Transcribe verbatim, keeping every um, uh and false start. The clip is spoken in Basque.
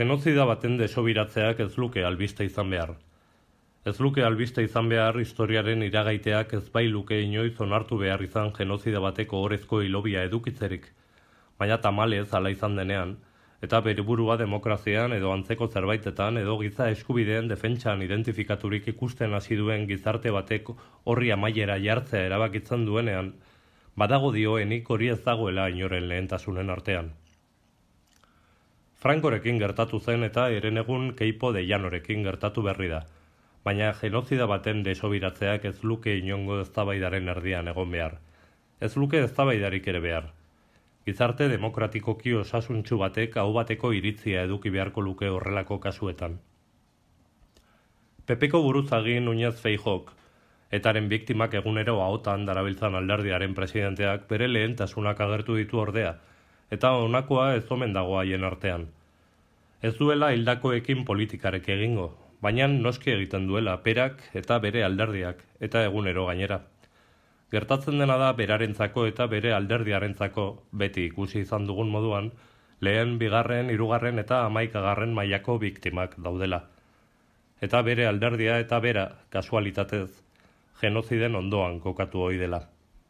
Genozida baten desobiratzeak ez luke albiste izan behar. Ez luke albiste izan behar historiaren iragaiteak ez bai luke inoiz onartu behar izan genozida bateko orezko hilobia edukitzerik, baina tamalez hala izan denean, eta bere burua demokrazian edo antzeko zerbaitetan edo giza eskubideen defentsan identifikaturik ikusten hasi duen gizarte batek horri amaiera jartzea erabakitzen duenean, badago dioenik hori ez dagoela inoren lehentasunen artean. Frankorekin gertatu zen eta herenegun Keipo de Llanorekin gertatu berri da, baina genozida baten desobiratzeak ez luke inongo eztabaidaren erdian egon behar. Ez luke eztabaidarik ere behar. Gizarte demokratikoki osasuntsu batek aho bateko iritzia eduki beharko luke horrelako kasuetan. Pepeko buruzagi Núñez Feijóok, etaren biktimak egunero ahotan darabiltzan alderdiaren presidenteak bere lehentasunak agertu ditu ordea, eta honakoa ez omen dago haien artean. Ez duela hildakoekin politikarek egingo, baina noski egiten duela perak eta bere alderdiak, eta egunero gainera. Gertatzen dena da berarentzako eta bere alderdiarentzako, beti ikusi izan dugun moduan, lehen, bigarren, hirugarren eta hamaikagarren mailako biktimak daudela. Eta bere alderdia eta bera, kasualitatez, genoziden ondoan kokatu ohi dela.